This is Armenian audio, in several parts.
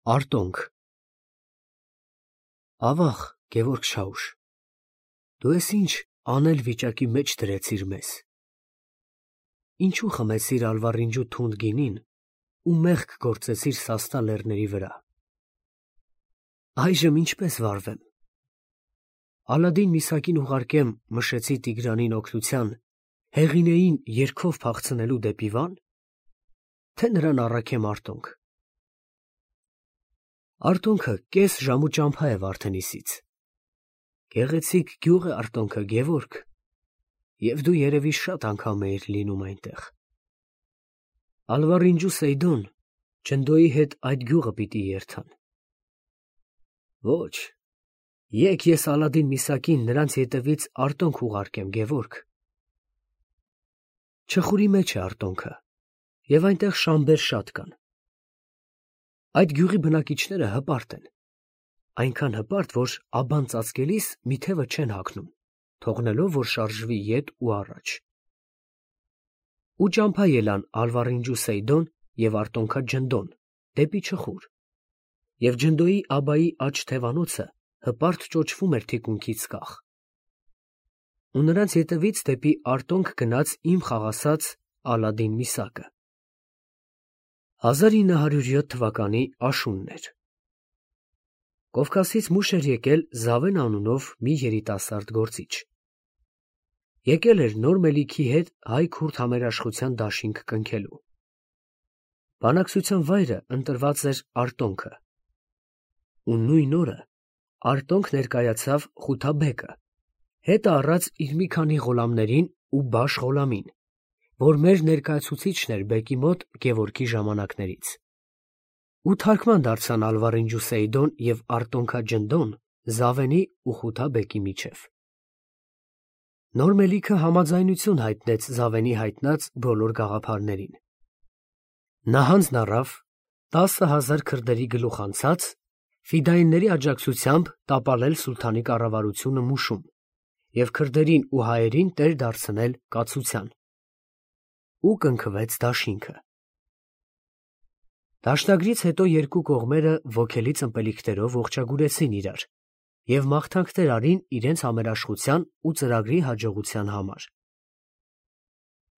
Արտոնք։ Ավաղ, Գևորգ Շաուշ, դու ես ինչ անել վիճակի մեջ դրեցիր մեզ։ Ինչու խմեցիր ալվարինջու թունդ գինին ու մեղք գործեցիր Սաստա լեռների վրա։ Այժմ ինչպես վարվեմ։ Ալադին Միսակին ուղարկեմ Մշեցի Տիգրանին օգնության, Հեղինեին երգով փախցնելու դեպի Վան, թե նրան առաքեմ Արտոնք։ Արտոնքը կես ժամու ճամփա է Վարդենիսից։ Գեղեցիկ գյուղ է Արտոնքը, Գևորգ, և դու երևի շատ անգամ էիր լինում այնտեղ։ Ալվարինջու Սեյդոն Ջնդոյի հետ այդ գյուղը պիտի երթան։ Ոչ, եկ ես Ալադին Միսակին նրանց ետևից Արտոնք ուղարկեմ, Գևորգ։ Չխուրի մեջ է Արտոնքը, և այնտեղ շամբեր շատ կան։ Այդ գյուղի բնակիչները հպարտ են, այնքան հպարտ, որ աբան ծածկելիս մի թևը չեն հագնում, թողնելով, որ շարժվի ետ ու առաջ։ Ու ճամփա ելան Ալվարինջու Սեյդոն և Արտոնքա Ջնդոն դեպի Չխուր, և Ջնդոյի աբայի աջ թևանոցը հպարտ ճոճվում էր թիկունքից կախ։ Ու նրանց ետևից դեպի Արտոնք գնաց իմ խաղասած Ալադին Միսակը։ 1907 թվականի աշունն էր։ Կովկասից մուշ էր եկել Զավեն անունով մի երիտասարդ գործիչ։ Եկել էր նոր մելիքի հետ հայ-քուրդ համերաշխության դաշինք կնքելու։ Բանակցության վայրը ընտրված էր Արտոնքը։ Ու նույն օրը Արտոնք ներկայացավ Խութաբեկը, հետը առած իր մի քանի ղոլամներին ու Բաշ Ղոլամին, որ մեր ներկայացուցիչն էր բեկի մոտ Գևորգի ժամանակներից։ Ու թարգման դարձան Ալվարինջու Սեյդոն և Արտոնքա Ջնդոն Զավենի ու Խութաբեկի միջև։ Նոր մելիքը համաձայնություն հայտնեց Զավենի հայտնած բոլոր գաղափարներին։ Նա հանձն առավ 10,000 քրդերի գլուխ անցած ֆիդայինների աջակցությամբ տապալել սուլթանի կառավարությունը Մուշում և քրդերին ու հայերին տեր դարձնել կացության։ Ու կնքվեց դաշինքը։ Դաշնագրից հետո երկու կողմերը ոգելի ըմպելիքներով ողջագուրեցին իրար և մաղթանքներ արին իրենց համերաշխության ու ծրագրի հաջողության համար։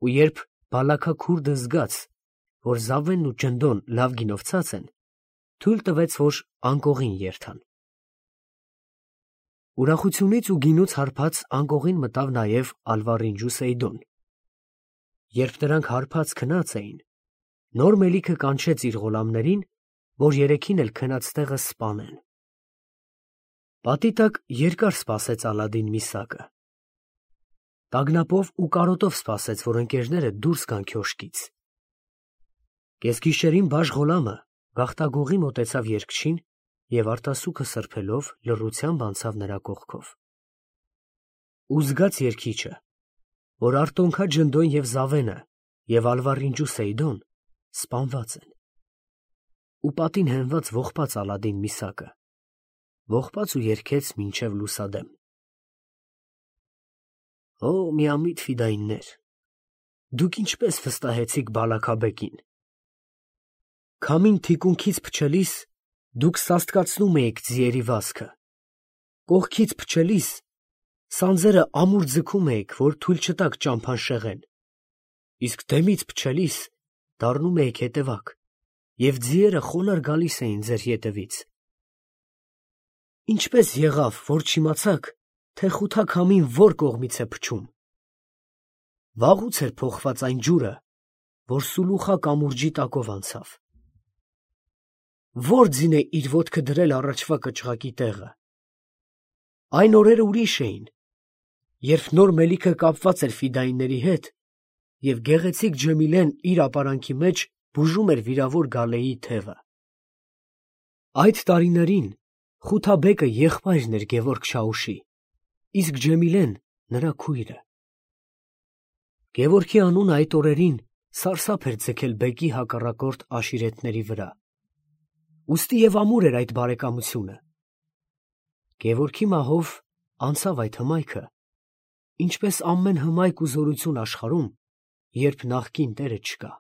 Ու երբ Բալաքա քուրդը զգաց, որ Զավենն ու Ջնդոն լավ գինով ցած են, թույլ տվեց, որ անկողին երթան։ Ուրախությունից ու գինուց հարբած անկողին մտավ նաև Ալվարինջու Սեյդոն։ Երբ նրանք հարբած քնած էին, նոր մելիքը կանչեց իր ղոլամներին, որ երեքին էլ քնած տեղը սպանեն։ Պատի տակ երկար սպասեց Ալադին Միսակը։ Տագնապով ու կարոտով սպասեց, որ ընկերները դուրս գան քյոշկից։ Կեսգիշերին Բաշ Ղոլամը գաղտագողի մոտեցավ երգչին և արտասուքը սրբելով լռությամբ անցավ նրա կողքով։ Ու զգաց երգիչը, որ Արտոնքա Ջնդոն և Զավենը և Ալվարինջու Սեյդոն սպանված են։ Ու պատին հենված ողբաց Ալադին Միսակը, ողբաց ու երգեց մինչև լուսադեմ։ Օ, միամիտ ֆիդայիններ, դուք ինչպես վստահեցիք Բալաքաբեկին։ Քամին թիկունքից փչելիս դուք սաստկացնում էիք ձիերի վազքը, կողքից փչելիս սանձերը ամուր ձգում էիք, որ թույլ չտաք ճամփան շեղեն, իսկ դեմից փչելիս դառնում էիք հետևակ, և ձիերը խոնարհ գալիս էին ձեր ետևից։ Ինչպես եղավ, որ չիմացաք, թե Խութա քամին որ կողմից է փչում։ Վաղուց էր փոխված այն ջուրը, որ Սուլուխա կամուրջի տակով անցավ։ Ո՞ր ձին է իր ոտքը դրել առաջվա կճղակի տեղը։ Այն օրերը ուրիշ էին, երբ նոր մելիքը կապված էր ֆիդայինների հետ, և գեղեցիկ Ջեմիլեն իր ապարանքի մեջ բուժում էր վիրավոր Գալեի թևը։ Այդ տարիներին Խութաբեկը եղբայրն էր Գևորգ Շաուշի, իսկ Ջեմիլեն նրա քույրը։ Գևորգի անունը այդ օրերին սարսափ էր ձգել բեկի հակառակորդ աշիրետների վրա, ուստի և ամուր էր այդ բարեկամությունը։ Գևորգի մահով անցավ այդ հմայքը, ինչպես ամեն հմայք ու զորություն աշխարհում, երբ նախկին տերը չկա։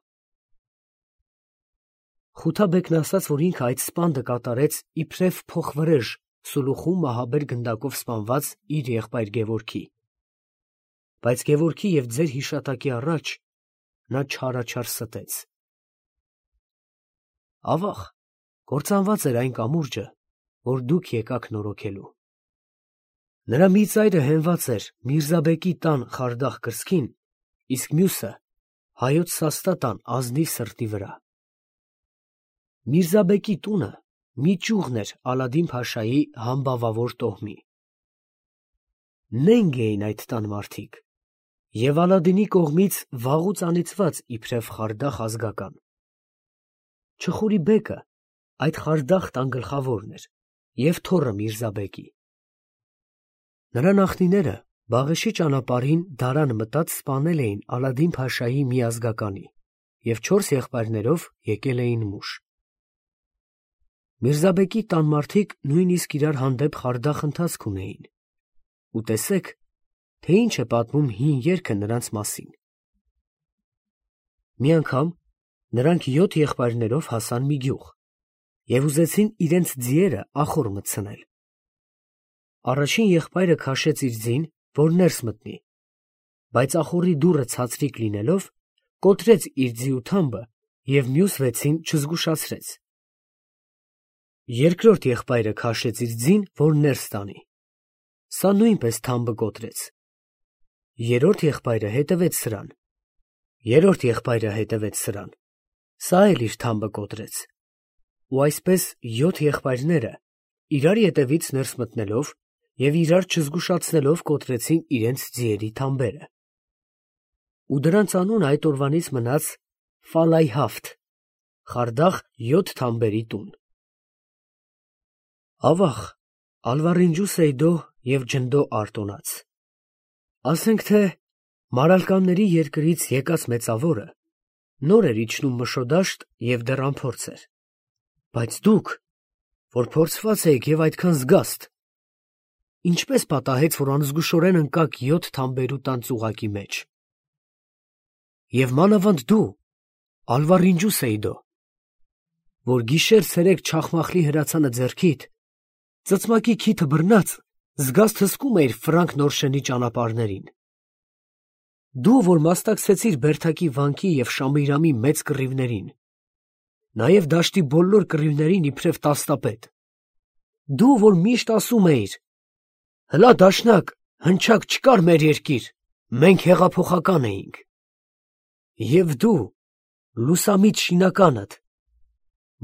Խութաբեկն ասաց, որ ինքը այդ սպանդը կատարեց իբրև փոխվրեժ Սուլուխու մահաբեր գնդակով սպանված իր եղբայր Գևորգի։ Բայց Գևորգի և ձեր հիշատակի առաջ նա չարաչար ստեց։ Ավաղ, կործանված էր այն կամուրջը, որ դուք եկաք նորոգելու։ Նրա մի ծայրը հենված էր Միրզաբեկի տան խարդախ կրծքին, իսկ մյուսը հայոց Սաստա տան ազնիվ սրտի վրա։ Միրզաբեկի տունը մի ճյուղն էր Ալադին֊փաշայի համբավավոր տոհմի։ Նենգ էին այդ տան մարդիկ և Ալադինի կողմից վաղուց անիծված իբրև խարդախ ազգական։ Չխուրի բեկը այդ խարդախ տան գլխավորն էր և թոռը Միրզաբեկի։ Նրա նախնիները Բաղեշի ճանապարհին դարան մտած սպանել էին Ալադին֊փաշայի մի ազգականի և 4 եղբայրներով եկել էին մուշ։ Միրզաբեկի տան մարդիկ նույնիսկ իրար հանդեպ խարդախ ընթացք ունեին, ու տեսեք, թե ինչ է պատմում հին երգը նրանց մասին։ Մի անգամ նրանք 7 եղբայրներով հասան մի գյուղ և ուզեցին իրենց ձիերը ախոռ մտցնել։ Առաջին եղբայրը քաշեց իր ձին, որ ներս մտնի, բայց ախոռի դուռը ցածրիկ լինելով, կոտրեց իր ձիու թամբը և մյուս 6-ին չզգուշացրեց։ Երկրորդ եղբայրը քաշեց իր ձին, որ ներս տանի, սա նույնպես թամբը կոտրեց։ Երրորդ եղբայրը հետևեց սրան, երրորդ եղբայրը հետևեց սրան, սա էլ իր թամբը կոտրեց։ Ու այսպես 7 եղբայրները իրար ետևից ներս մտնելով և իրար չզգուշացնելով կոտրեցին իրենց ձիերի թամբերը։ Ու դրանց անունը այդ օրվանից մնաց Ֆալայհաֆթ, խարդախ 7 թամբերի տուն։ Ավաղ, Ալվարինջու Սեյդո և Ջնդո Արտոնաց։ Ասենք թե Մարալկանների երկրից եկած մեծավորը նոր էր իջնում Մշոդաշտ և դեռ անփորձ էր, բայց դուք, որ փորձված էիք և այդքան զգաստ, ինչպես պատահեց, որ անզգուշորեն ընկաք 7 թամբերու տան ծուղակի մեջ։ Եվ մանավանդ դու, Ալվարինջու Սեյդո, որ գիշեր-ցերեկ չախմախլի հրացանը ձեռքիդ, ծծմակի քիթը բռնած, զգաստ հսկում էիր Ֆրանկ Նորշենի ճանապարհներին։ Դու, որ մասնակցեցիր Բերդակի վանքի և Շամիրամի մեծ կռիվներին, նաև դաշտի բոլոր կռիվներին իբրև տասնապետ։ Դու, որ միշտ ասում էիր. «Հլա դաշնակ, հնչակ չկար մեր երկիր, մենք հեղափոխական էինք»։ Եվ դու, լուսամիտ շինականդ,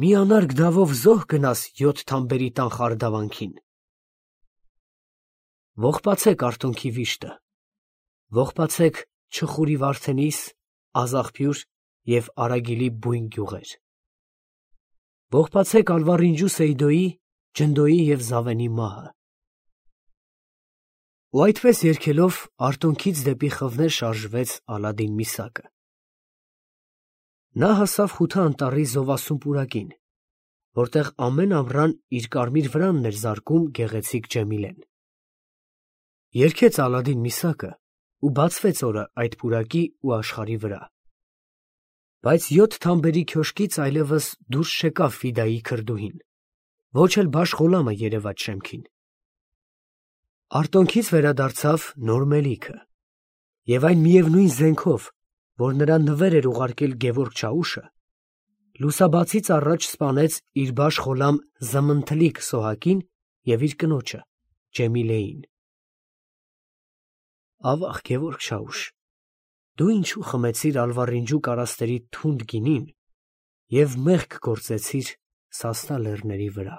մի անարգ դավով զոհ գնաս 7 թամբերի տան խարդավանքին։ Ողբացեք Արտոնքի վիշտը, ողբացեք Չխուրի Վարդենիս, Ազախփյուր և Արագիլի բույն գյուղեր։ Ողբացեք Ալվարինջու Սեյդոյի, Ջնդոյի և Զավենի մահը։ Ու այդպես երգելով Արտոնքից դեպի խվներ շարժվեց Ալադին Միսակը։ Նա հասավ Խութա անտառի զովասուն պուրակին, որտեղ ամեն ամռան իր կարմիր վրանն էր զարկում գեղեցիկ Ջեմիլեն։ Երգեց Ալադին Միսակը ու բացվեց օրը այդ պուրակի ու աշխարհի վրա։ Բայց 7 թամբերի քյոշկից այլևս դուրս չեկավ Ֆիդայի քրդուհին, ոչ էլ Բաշ Ղոլամը երևաց շեմքին։ Արտոնքից վերադարձավ նոր մելիքը, և այն միևնույն զենքով, որ նրան նվեր էր ուղարկել Գևորգ Չաուշը, լուսաբացից առաջ սպանեց իր Բաշ Ղոլամ Զմընթլիկ Սոհակին և իր կնոջը Ջեմիլեին։ Ավաղ, Գևորգ Չաուշ, դու ինչու խմեցիր Ալվարինջու կարասների թունդ գինին և մեղք գործեցիր Սասնա լեռների վրա։